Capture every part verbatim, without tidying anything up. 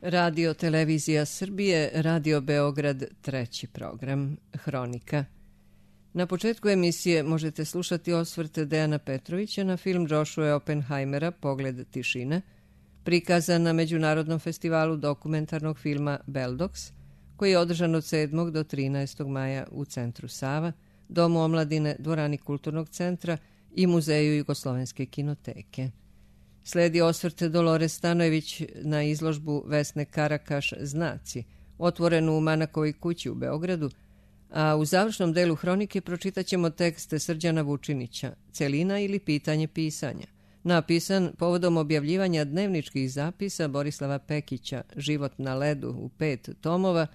Radio Televizija Srbije, Radio Beograd, treći program, Hronika. Na početku emisije možete slušati osvrt Dejana Petrovića na film Joshua Oppenheimera Pogled tišine, prikazan na Međunarodnom festivalu dokumentarnog filma Beldox, koji je održan od sedmog do trinaestog maja u Centru Sava, Domu omladine, Dvorani Kulturnog centra i Muzeju Jugoslovenske kinoteke. Sledi osvrt Dolores Stanojević na izložbu Vesne Karakaš Znaci, otvorenu u Manakovoj kući u Beogradu, a u završnom delu hronike pročitaćemo tekst Srđana Vučinića, Celina ili pitanje pisanja, napisan povodom objavljivanja dnevničkih zapisa Borislava Pekića, Život na ledu u pet tomova,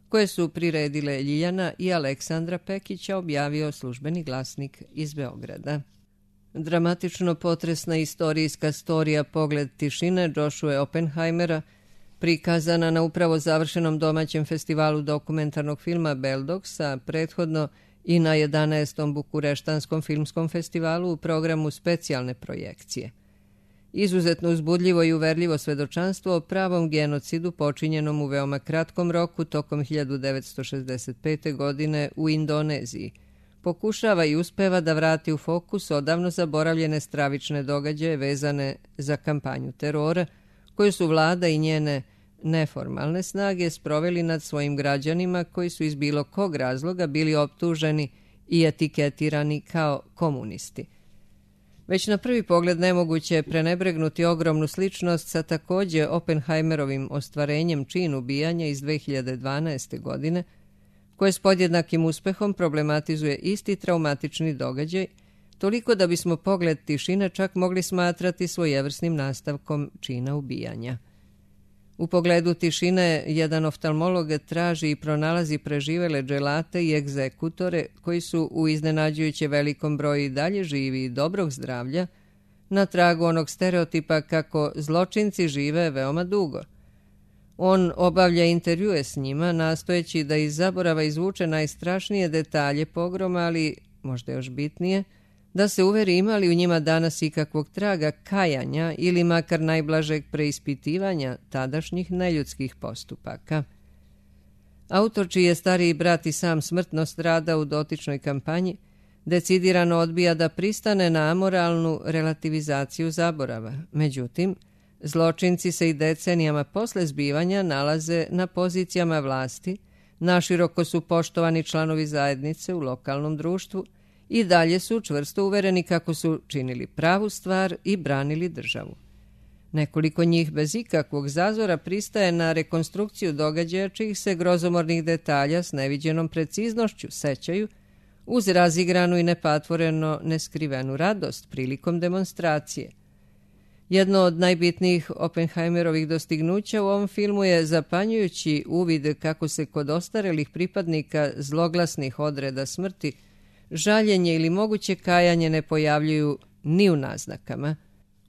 koje su priredile Ljiljana i Aleksandra Pekića, objavio Službeni glasnik iz Beograda. Dramatično potresna istorijska storija Pogled tišine Joshua Oppenheimera, prikazana na upravo završenom domaćem festivalu dokumentarnog filma Beldox, a prethodno i na jedanaestom Bukureštanskom filmskom festivalu u programu specijalne projekcije. Izuzetno uzbudljivo i uverljivo svedočanstvo o pravom genocidu počinjenom u veoma kratkom roku tokom hiljadu devetsto šezdeset pete. godine u Indoneziji, pokušava i uspeva da vrati u fokus odavno zaboravljene stravične događaje vezane za kampanju terora, koju su vlada i njene neformalne snage sproveli nad svojim građanima koji su iz bilo kog razloga bili optuženi i etiketirani kao komunisti. Već na prvi pogled nemoguće je prenebregnuti ogromnu sličnost sa takođe Oppenheimerovim ostvarenjem čin ubijanja iz dve hiljade dvanaeste. godine, koje s podjednakim uspehom problematizuje isti traumatični događaj, toliko da bismo Pogled tišine čak mogli smatrati svojevrsnim nastavkom čina ubijanja. U Pogledu tišine jedan oftalmolog traži i pronalazi preživele dželate i egzekutore koji su u iznenađujuće velikom broju i dalje živi i dobrog zdravlja, na tragu onog stereotipa kako zločinci žive veoma dugo. On obavlja intervjue s njima, nastojeći da iz zaborava izvuče najstrašnije detalje pogroma, ali, možda još bitnije, da se uveri ima li u njima danas ikakvog traga kajanja ili makar najblažeg preispitivanja tadašnjih neljudskih postupaka. Autor, čiji je stariji brat i sam smrtno strada u dotičnoj kampanji, decidirano odbija da pristane na amoralnu relativizaciju zaborava. Međutim, zločinci se i decenijama posle zbivanja nalaze na pozicijama vlasti, naširoko su poštovani članovi zajednice u lokalnom društvu i dalje su čvrsto uvereni kako su činili pravu stvar i branili državu. Nekoliko njih bez ikakvog zazora pristaje na rekonstrukciju događaja čijih se grozomornih detalja s neviđenom preciznošću sećaju, uz razigranu i nepatvoreno neskrivenu radost prilikom demonstracije. Jedno od najbitnijih Oppenheimerovih dostignuća u ovom filmu je zapanjujući uvid kako se kod ostarelih pripadnika zloglasnih odreda smrti žaljenje ili moguće kajanje ne pojavljuju ni u naznakama.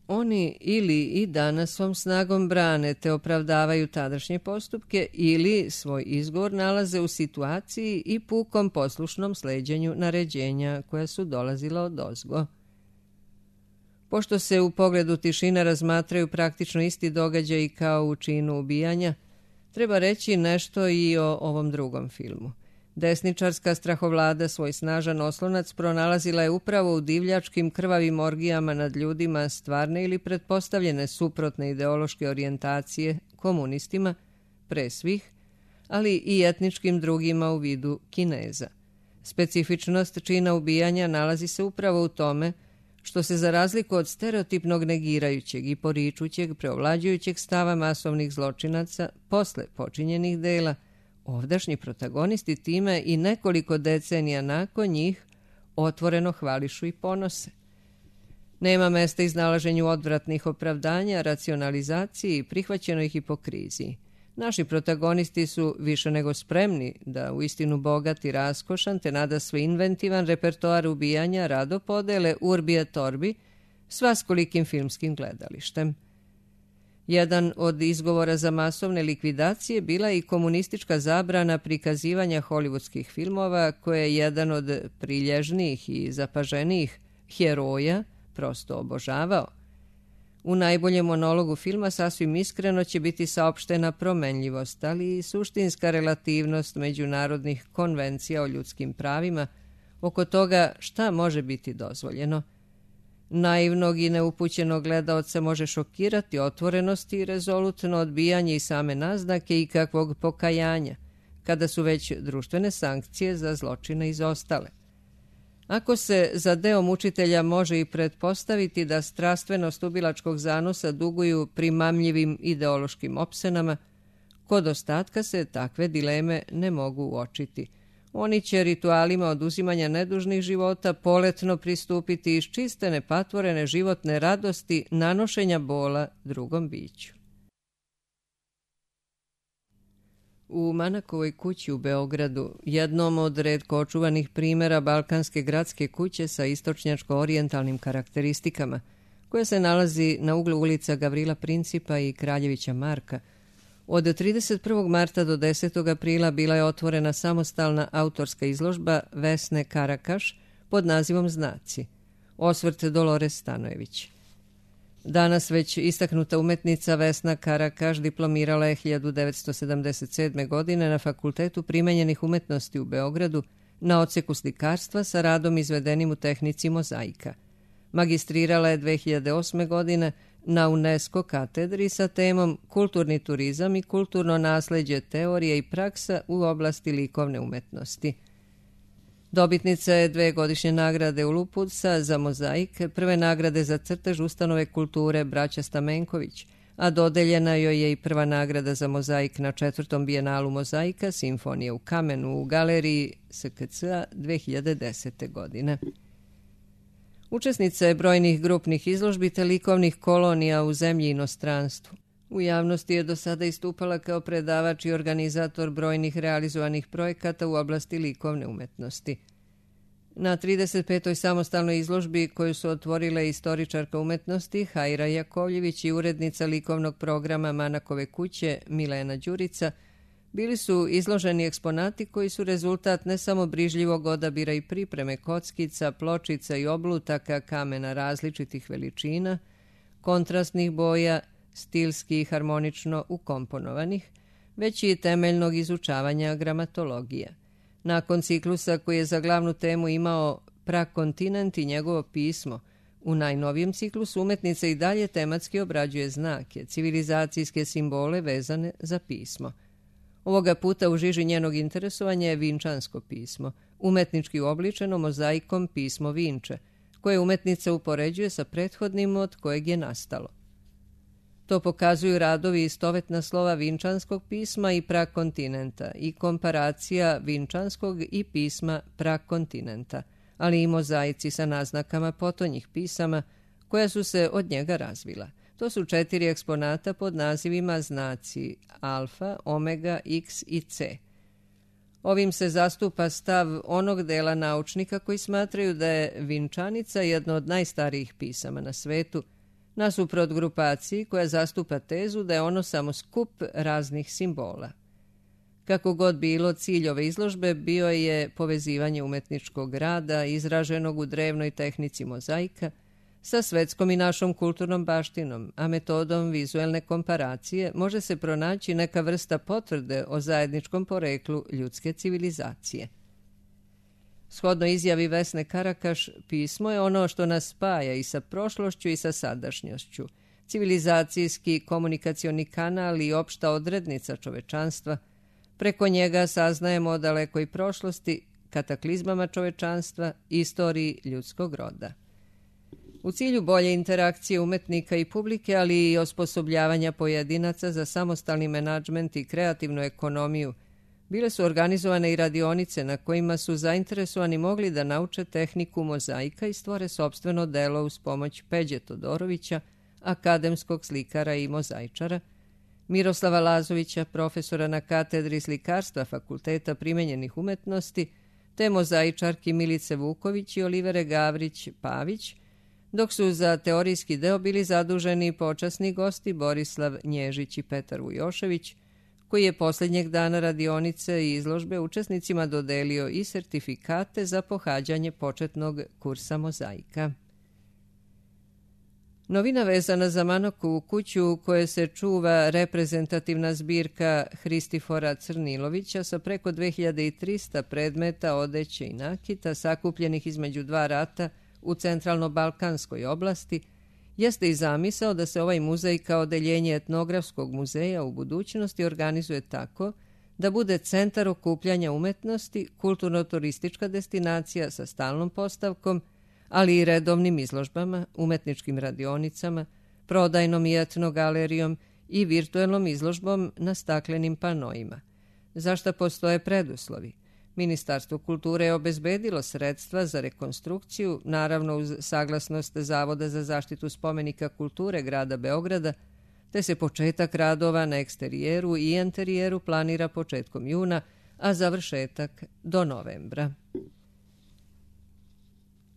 Oni ili i danas svom snagom brane te opravdavaju tadašnje postupke ili svoj izgovor nalaze u situaciji i pukom poslušnom sleđenju naređenja koja su dolazila odozgo. Pošto se u Pogledu tišine razmatraju praktično isti događaji kao u činu ubijanja, treba reći nešto i o ovom drugom filmu. Desničarska strahovlada svoj snažan oslonac pronalazila je upravo u divljačkim krvavim orgijama nad ljudima stvarne ili pretpostavljene suprotne ideološke orijentacije komunistima, pre svih, ali i etničkim drugima u vidu Kineza. Specifičnost čina ubijanja nalazi se upravo u tome što se za razliku od stereotipnog negirajućeg i poričućeg preovlađujućeg stava masovnih zločinaca posle počinjenih dela, ovdašnji protagonisti time i nekoliko decenija nakon njih otvoreno hvališu i ponose. Nema mesta iznalaženju odvratnih opravdanja, racionalizaciji i prihvaćenoj hipokriziji. Naši protagonisti su više nego spremni da u istinu bogat i raskošan te nadasve inventivan repertoar ubijanja rado podele urbi et orbi s vaskolikim filmskim gledalištem. Jedan od izgovora za masovne likvidacije bila i komunistička zabrana prikazivanja hollywoodskih filmova koje je jedan od prilježnijih i zapaženijih heroja prosto obožavao. U najboljem monologu filma sasvim iskreno će biti saopštena promenljivost, ali i suštinska relativnost međunarodnih konvencija o ljudskim pravima oko toga šta može biti dozvoljeno. Naivnog i neupućenog gledaoca može šokirati otvorenost i rezolutno odbijanje i same naznake i kakvog pokajanja, kada su već društvene sankcije za zločine izostale. Ako se za deo mučitelja može i pretpostaviti da strastvenost ubilačkog zanosa duguju primamljivim ideološkim opsenama, kod ostatka se takve dileme ne mogu uočiti. Oni će ritualima oduzimanja nedužnih života poletno pristupiti iz čiste nepatvorene životne radosti nanošenja bola drugom biću. U Manakovoj kući u Beogradu, jednom od retko očuvanih primjera balkanske gradske kuće sa istočnjačko-orijentalnim karakteristikama, koja se nalazi na uglu ulica Gavrila Principa i Kraljevića Marka, od trideset prvog marta do desetog aprila bila je otvorena samostalna autorska izložba Vesne Karakaš pod nazivom Znaci, osvrt Dolores Stanojević. Danas već istaknuta umetnica Vesna Karakaš diplomirala je hiljadu devetsto sedamdeset sedme. godine na Fakultetu primenjenih umetnosti u Beogradu na odseku slikarstva sa radom izvedenim u tehnici mozaika. Magistrirala je dve hiljade osme. godine na UNESCO katedri sa temom Kulturni turizam i kulturno nasleđe teorije i praksa u oblasti likovne umetnosti. Dobitnica je dve godišnje nagrade Uluputsa za mozaik, prve nagrade za crtež ustanove kulture Braća Stamenković, a dodeljena joj je i prva nagrada za mozaik na četvrtom bijenalu mozaika Simfonije u kamenu u galeriji S K C-a dve hiljade desete. godine. Učesnica je brojnih grupnih izložbi te likovnih kolonija u zemlji i inostranstvu. U javnosti je do sada istupala kao predavač i organizator brojnih realizovanih projekata u oblasti likovne umetnosti. Na trideset petoj samostalnoj izložbi koju su otvorile istoričarka umetnosti Hajra Jakovljević i urednica likovnog programa Manakove kuće Milena Đurica, bili su izloženi eksponati koji su rezultat ne samo brižljivog odabira i pripreme kockica, pločica i oblutaka kamena različitih veličina, kontrastnih boja, stilski i harmonično ukomponovanih, već i temeljnog izučavanja gramatologije. Nakon ciklusa koji je za glavnu temu imao Prakontinent i njegovo pismo, u najnovijem ciklusu umetnica i dalje tematski obrađuje znake, civilizacijske simbole vezane za pismo. Ovoga puta u žiži njenog interesovanja je vinčansko pismo, umetnički uobličeno mozaikom pismo Vinče, koje umetnica upoređuje sa prethodnim od kojeg je nastalo. To pokazuju radovi istovetna slova vinčanskog pisma i prakontinenta i komparacija vinčanskog i pisma prakontinenta, ali i mozaici sa naznakama potonjih pisama koja su se od njega razvila. To su četiri eksponata pod nazivima znaci alfa, omega, x i c. Ovim se zastupa stav onog dela naučnika koji smatraju da je vinčanica jedno od najstarijih pisama na svetu, nasuprot grupaciji koja zastupa tezu da je ono samo skup raznih simbola. Kako god bilo, cilj ove izložbe bio je povezivanje umetničkog rada izraženog u drevnoj tehnici mozaika sa svetskom i našom kulturnom baštinom, a metodom vizuelne komparacije može se pronaći neka vrsta potvrde o zajedničkom poreklu ljudske civilizacije. Shodno izjavi Vesne Karakaš, pismo je ono što nas spaja i sa prošlošću i sa sadašnjošću, civilizacijski komunikacioni kanal i opšta odrednica čovečanstva. Preko njega saznajemo o dalekoj prošlosti, kataklizmama čovečanstva i istoriji ljudskog roda. U cilju bolje interakcije umetnika i publike, ali i osposobljavanja pojedinaca za samostalni menadžment i kreativnu ekonomiju, bile su organizovane i radionice na kojima su zainteresovani mogli da nauče tehniku mozaika i stvore sopstveno delo uz pomoć Peđe Todorovića, akademskog slikara i mozaičara, Miroslava Lazovića, profesora na katedri slikarstva Fakulteta primenjenih umetnosti, te mozaičarki Milice Vuković i Olivere Gavrić-Pavić, dok su za teorijski deo bili zaduženi počasni gosti Borislav Nježić i Petar Vujošević, koji je posljednjeg dana radionice i izložbe učesnicima dodelio i sertifikate za pohađanje početnog kursa mozaika. Novina vezana za Manokovu kuću u kojoj se čuva reprezentativna zbirka Hristifora Crnilovića sa preko dve hiljade trista predmeta, odeće i nakita sakupljenih između dva rata u centralno-balkanskoj oblasti, jeste i zamisao da se ovaj muzej kao odeljenje etnografskog muzeja u budućnosti organizuje tako da bude centar okupljanja umetnosti, kulturno-turistička destinacija sa stalnom postavkom, ali i redovnim izložbama, umetničkim radionicama, prodajnom i etnogalerijom i virtuelnom izložbom na staklenim panoima. Za šta postoje preduslovi? Ministarstvo kulture je obezbedilo sredstva za rekonstrukciju, naravno uz saglasnost Zavoda za zaštitu spomenika kulture grada Beograda, te se početak radova na eksterijeru i interijeru planira početkom juna, a završetak do novembra.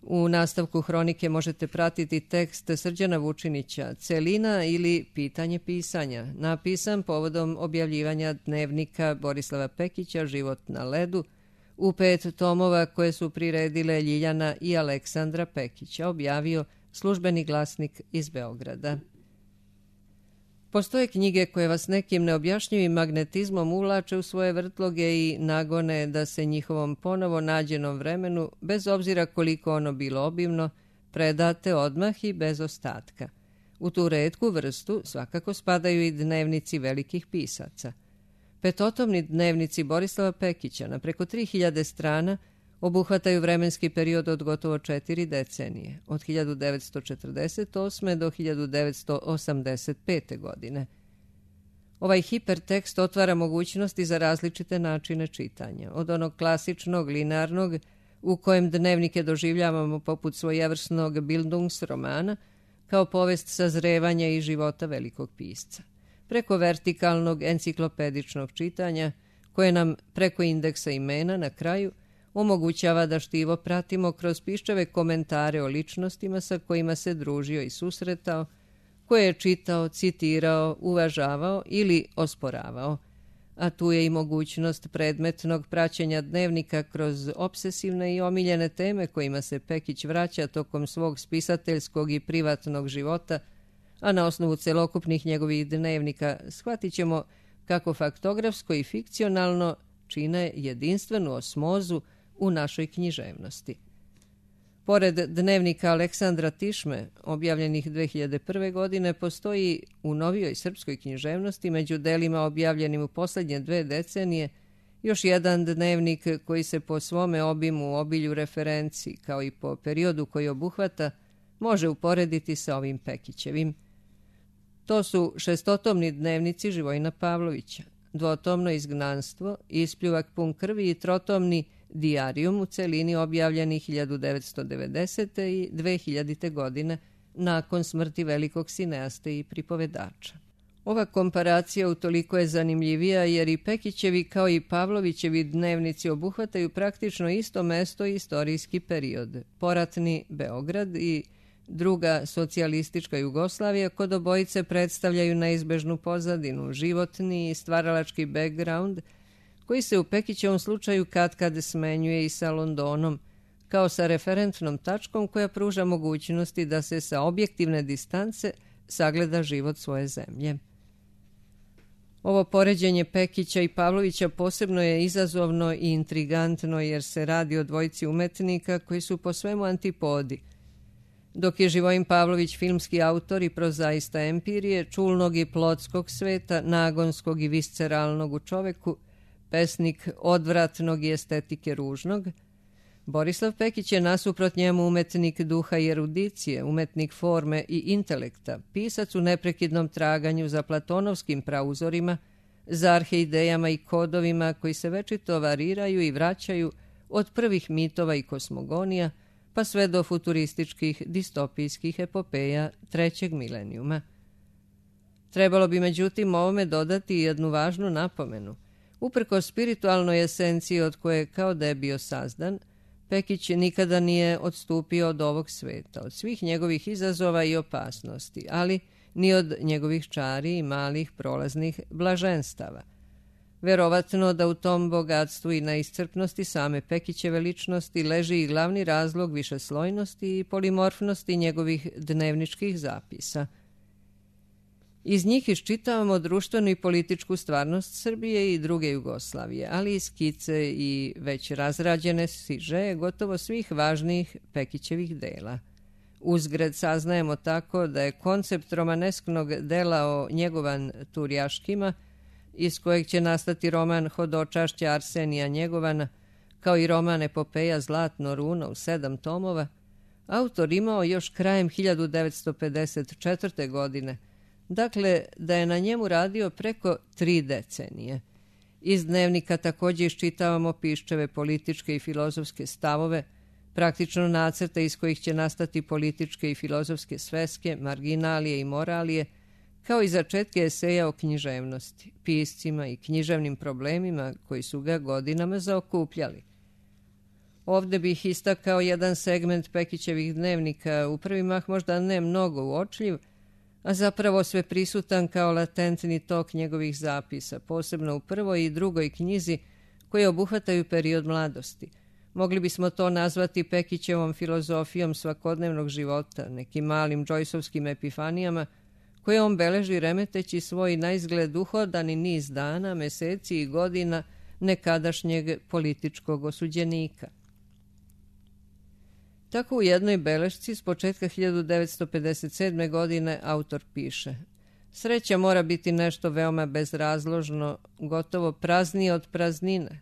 U nastavku hronike možete pratiti tekst Srđana Vučinića "Celina ili pitanje pisanja", napisan povodom objavljivanja dnevnika Borislava Pekića "Život na ledu", u pet tomova koje su priredile Ljiljana i Aleksandra Pekića, objavio Službeni glasnik iz Beograda. Postoje knjige koje vas nekim neobjašnjivim magnetizmom uvlače u svoje vrtloge i nagone da se njihovom ponovo nađenom vremenu, bez obzira koliko ono bilo obimno, predate odmah i bez ostatka. U tu retku vrstu svakako spadaju i dnevnici velikih pisaca. Petotomni dnevnici Borislava Pekića na preko tri hiljade strana obuhvataju vremenski period od gotovo četiri decenije, od hiljadu devetsto četrdeset osme. do hiljadu devetsto osamdeset pete. godine. Ovaj hipertekst otvara mogućnosti za različite načine čitanja, od onog klasičnog, linearnog, u kojem dnevnike doživljavamo poput svojevrsnog Bildungsromana, kao povest sazrevanja i života velikog pisca, preko vertikalnog enciklopedičnog čitanja, koje nam preko indeksa imena na kraju omogućava da štivo pratimo kroz piščeve komentare o ličnostima sa kojima se družio i susretao, koje je čitao, citirao, uvažavao ili osporavao. A tu je i mogućnost predmetnog praćenja dnevnika kroz obsesivne i omiljene teme kojima se Pekić vraća tokom svog spisateljskog i privatnog života, a na osnovu celokupnih njegovih dnevnika shvatit ćemo kako faktografsko i fikcionalno čine jedinstvenu osmozu u našoj književnosti. Pored dnevnika Aleksandra Tišme, objavljenih dve hiljade prve. godine, postoji u novijoj srpskoj književnosti među delima objavljenim u posljednje dve decenije još jedan dnevnik koji se po svome obimu, obilju referenci, kao i po periodu koji obuhvata, može uporediti sa ovim Pekićevim. To su šestotomni dnevnici Živojina Pavlovića, dvotomno Izgnanstvo, Ispljuvak pun krvi i trotomni Dijarijum u celini objavljeni hiljadu devetsto devedesete. i dve hiljadite. godine nakon smrti velikog sineaste i pripovedača. Ova komparacija utoliko je zanimljivija jer i Pekićevi kao i Pavlovićevi dnevnici obuhvataju praktično isto mesto i istorijski period, poratni Beograd i druga socijalistička Jugoslavija, kod obojice predstavljaju neizbežnu pozadinu, životni i stvaralački background, koji se u Pekićevom slučaju katkad smenjuje i sa Londonom, kao sa referentnom tačkom koja pruža mogućnosti da se sa objektivne distance sagleda život svoje zemlje. Ovo poređenje Pekića i Pavlovića posebno je izazovno i intrigantno jer se radi o dvojici umetnika koji su po svemu antipodi. Dok je Živojin Pavlović filmski autor i prozaista empirije, čulnog i plotskog sveta, nagonskog i visceralnog u čoveku, pesnik odvratnog i estetike ružnog, Borislav Pekić je nasuprot njemu umetnik duha i erudicije, umetnik forme i intelekta, pisac u neprekidnom traganju za platonovskim prauzorima, za arheidejama i kodovima koji se večito variraju i vraćaju od prvih mitova i kosmogonija, pa sve do futurističkih distopijskih epopeja trećeg milenijuma. Trebalo bi međutim ovome dodati jednu važnu napomenu. Uprko spiritualnoj esenciji od koje kao da je bio sazdan, Pekić nikada nije odstupio od ovog sveta, od svih njegovih izazova i opasnosti, ali ni od njegovih čari i malih prolaznih blaženstava. Verovatno da u tom bogatstvu i neiscrpnosti same Pekićeve ličnosti leži i glavni razlog višeslojnosti i polimorfnosti njegovih dnevničkih zapisa. Iz njih iščitavamo društvenu i političku stvarnost Srbije i druge Jugoslavije, ali i skice i već razrađene sižeje gotovo svih važnijih Pekićevih dela. Uzgred saznajemo tako da je koncept romanesknog dela o Njegovan Turjaškima, iz kojeg će nastati roman Hodočašća Arsenija Njegovana, kao i roman epopeja Zlatno runo u sedam tomova, autor imao još krajem hiljadu devetsto pedeset četvrte. godine, dakle da je na njemu radio preko tri decenije. Iz dnevnika također iščitavamo Piščeve političke i filozofske stavove, praktično nacrte iz kojih će nastati političke i filozofske sveske, marginalije i moralije, kao i začetke eseja o književnosti, piscima i književnim problemima koji su ga godinama zaokupljali. Ovde bih istakao jedan segment Pekićevih dnevnika, u prvi mah možda ne mnogo uočljiv, a zapravo sve prisutan kao latentni tok njegovih zapisa, posebno u prvoj i drugoj knjizi koje obuhvataju period mladosti. Mogli bismo to nazvati Pekićevom filozofijom svakodnevnog života, nekim malim džojsovskim epifanijama, koje on beleži remeteći svoj naizgled uhodani niz dana, meseci i godina nekadašnjeg političkog osuđenika. Tako u jednoj belešci s početka hiljadu devetsto pedeset sedme. godine autor piše: Sreća mora biti nešto veoma bezrazložno, gotovo praznije od praznine.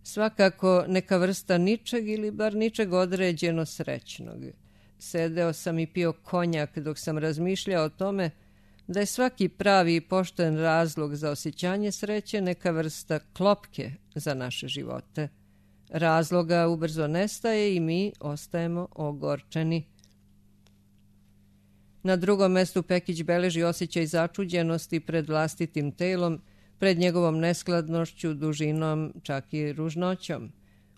Svakako neka vrsta ničeg ili bar ničeg određeno srećnog. Sedeo sam i pio konjak dok sam razmišljao o tome da je svaki pravi i pošten razlog za osjećanje sreće neka vrsta klopke za naše živote. Razloga ubrzo nestaje i mi ostajemo ogorčeni. Na drugom mestu Pekić beleži osjećaj začuđenosti pred vlastitim telom, pred njegovom neskladnošću, dužinom, čak i ružnoćom.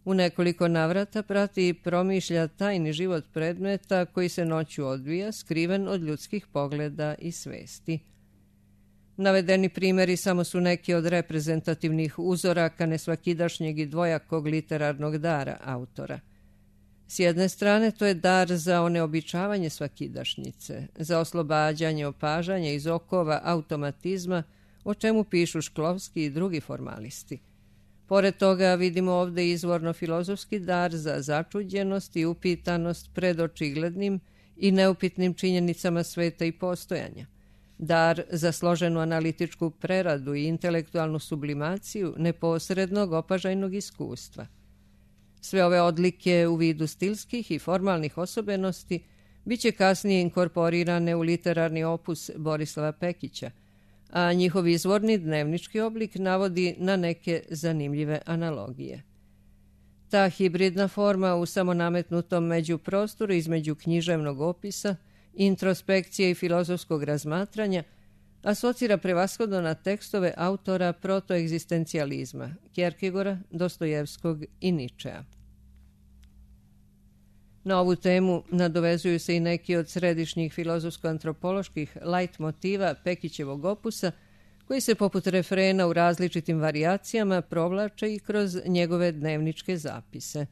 U nekoliko navrata prati i promišlja tajni život predmeta koji se noću odvija, skriven od ljudskih pogleda i svesti. Navedeni primjeri samo su neki od reprezentativnih uzoraka nesvakidašnjeg i dvojakog literarnog dara autora. S jedne strane to je dar za oneobičavanje svakidašnjice, za oslobađanje opažanja iz okova automatizma, o čemu pišu Šklovski i drugi formalisti. Pored toga vidimo ovde izvorno filozofski dar za začuđenost i upitanost pred očiglednim i neupitnim činjenicama sveta i postojanja. Dar za složenu analitičku preradu i intelektualnu sublimaciju neposrednog opažajnog iskustva. Sve ove odlike u vidu stilskih i formalnih osobenosti biće kasnije inkorporirane u literarni opus Borislava Pekića, a njihov izvorni dnevnički oblik navodi na neke zanimljive analogije. Ta hibridna forma u samonametnutom međuprostoru između književnog opisa, introspekcije i filozofskog razmatranja asocira prevashodno na tekstove autora protoegzistencijalizma, Kjerkegora, Dostojevskog i Ničea. Na ovu temu nadovezuju se i neki od središnjih filozofsko-antropoloških lajt motiva Pekićevog opusa, koji se poput refrena u različitim varijacijama provlače i kroz njegove dnevničke zapise.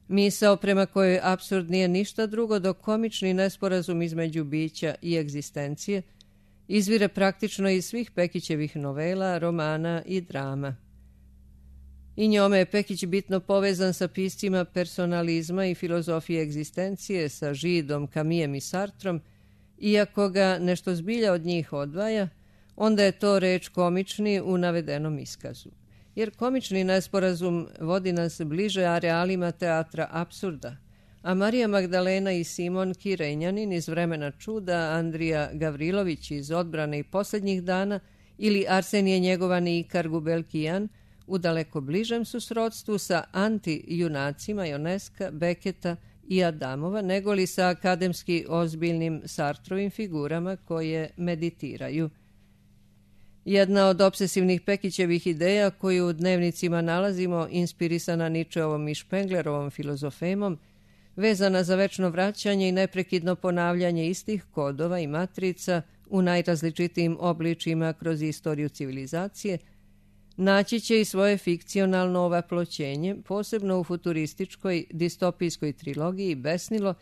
Misao prema kojoj apsurd nije ništa drugo do komični nesporazum između bića i egzistencije izvire praktično iz svih Pekićevih novela, romana i drama. I njome je Pekić bitno povezan sa piscima personalizma i filozofije egzistencije, sa Židom, Kamijem i Sartrom, iako ga nešto zbilja od njih odvaja, onda je to reč komični u navedenom iskazu. Jer komični nesporazum vodi nas bliže arealima teatra apsurda, a Marija Magdalena i Simon Kirenjanin iz Vremena čuda, Andrija Gavrilović iz Odbrane i posljednjih dana ili Arsenije Njegovan i Ikar Gubelkijan u daleko bližem su srodstvu sa anti-junacima Ioneska, Beketa i Adamova, negoli sa akademski ozbiljnim Sartrovim figurama koje meditiraju. Jedna od obsesivnih Pekićevih ideja koju u dnevnicima nalazimo, inspirisana Ničeovom i Špenglerovom filozofemom, vezana za večno vraćanje i neprekidno ponavljanje istih kodova i matrica u najrazličitijim obličima kroz istoriju civilizacije, naći će i svoje fikcionalno ovaploćenje, posebno u futurističkoj distopijskoj trilogiji Besnilo,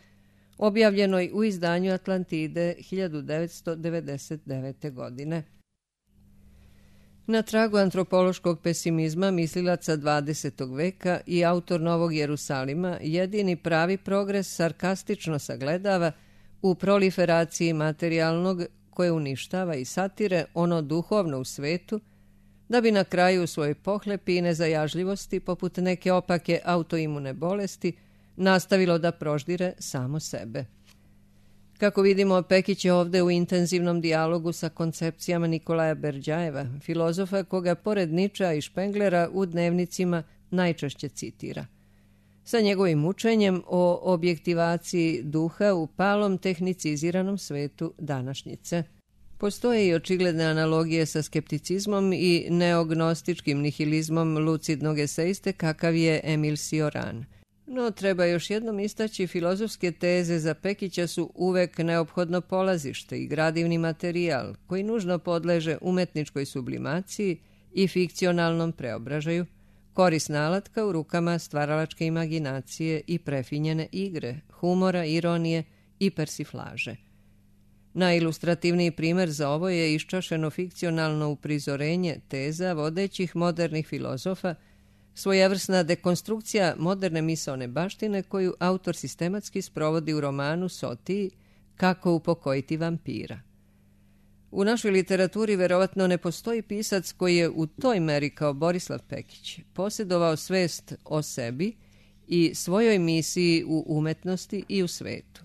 objavljenoj u izdanju Atlantide hiljadu devetsto devedeset devete. godine. Na tragu antropološkog pesimizma mislilaca dvadesetog veka i autor Novog Jerusalima jedini pravi progres sarkastično sagledava u proliferaciji materijalnog koje uništava i satire ono duhovno u svetu, da bi na kraju u svojoj pohlepi i nezajažljivosti, poput neke opake autoimune bolesti, nastavilo da proždire samo sebe. Kako vidimo, Pekić je ovde u intenzivnom dijalogu sa koncepcijama Nikolaja Berdjajeva, filozofa koga pored Ničea i Špenglera u dnevnicima najčešće citira. Sa njegovim učenjem o objektivaciji duha u palom tehniciziranom svetu današnjice. Postoje i očigledne analogije sa skepticizmom i neognostičkim nihilizmom lucidnog eseiste kakav je Emil Cioran. No, treba još jednom istaći, filozofske teze za Pekića su uvek neophodno polazište i gradivni materijal koji nužno podleže umetničkoj sublimaciji i fikcionalnom preobražaju, korisna alatka u rukama stvaralačke imaginacije i prefinjene igre, humora, ironije i persiflaže. Najilustrativniji primer za ovo je iščašeno fikcionalno uprizorenje teza vodećih modernih filozofa, svojevrsna dekonstrukcija moderne misaone baštine koju autor sistematski sprovodi u romanu Sotiji Kako upokojiti vampira. U našoj literaturi verovatno ne postoji pisac koji je u toj meri kao Borislav Pekić posjedovao svest o sebi i svojoj misiji u umetnosti i u svetu.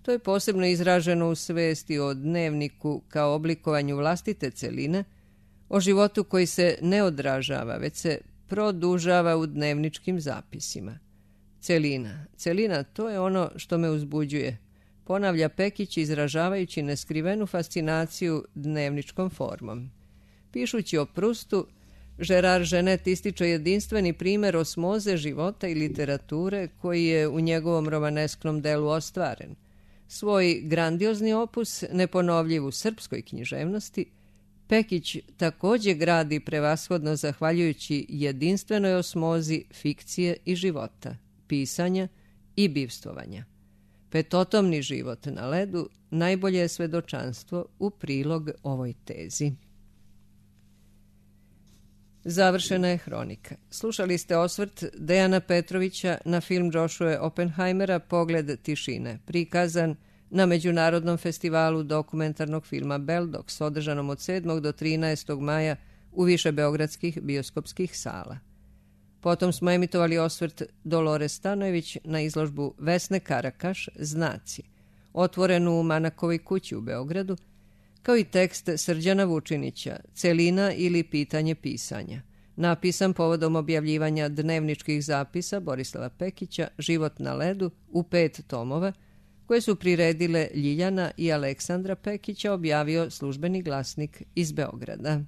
To je posebno izraženo u svesti o dnevniku kao oblikovanju vlastite celine, o životu koji se ne odražava, već se produžava u dnevničkim zapisima. Celina. Celina, to je ono što me uzbuđuje, ponavlja Pekić izražavajući neskrivenu fascinaciju dnevničkom formom. Pišući o Prustu, Gerard Genet ističe jedinstveni primer osmoze života i literature koji je u njegovom romanesknom delu ostvaren. Svoj grandiozni opus, neponovljiv u srpskoj književnosti, Pekić također gradi prevashodno zahvaljujući jedinstvenoj osmozi fikcije i života, pisanja i bivstvovanja. Petotomni život na ledu najbolje je svedočanstvo u prilog ovoj tezi. Završena je hronika. Slušali ste osvrt Dejana Petrovića na film Joshua Oppenheimera Pogled tišine, prikazan na Međunarodnom festivalu dokumentarnog filma Beldox, održanom od sedmog do trinaestog maja u više beogradskih bioskopskih sala. Potom smo emitovali osvrt Dolore Stanojević na izložbu Vesne Karakaš Znaci, otvorenu u Manakovoj kući u Beogradu, kao i tekst Srđana Vučinića Celina ili pitanje pisanja, napisan povodom objavljivanja dnevničkih zapisa Borislava Pekića Život na ledu u pet tomova, koje su priredile Ljiljana i Aleksandra Pekića, objavio Službeni glasnik iz Beograda.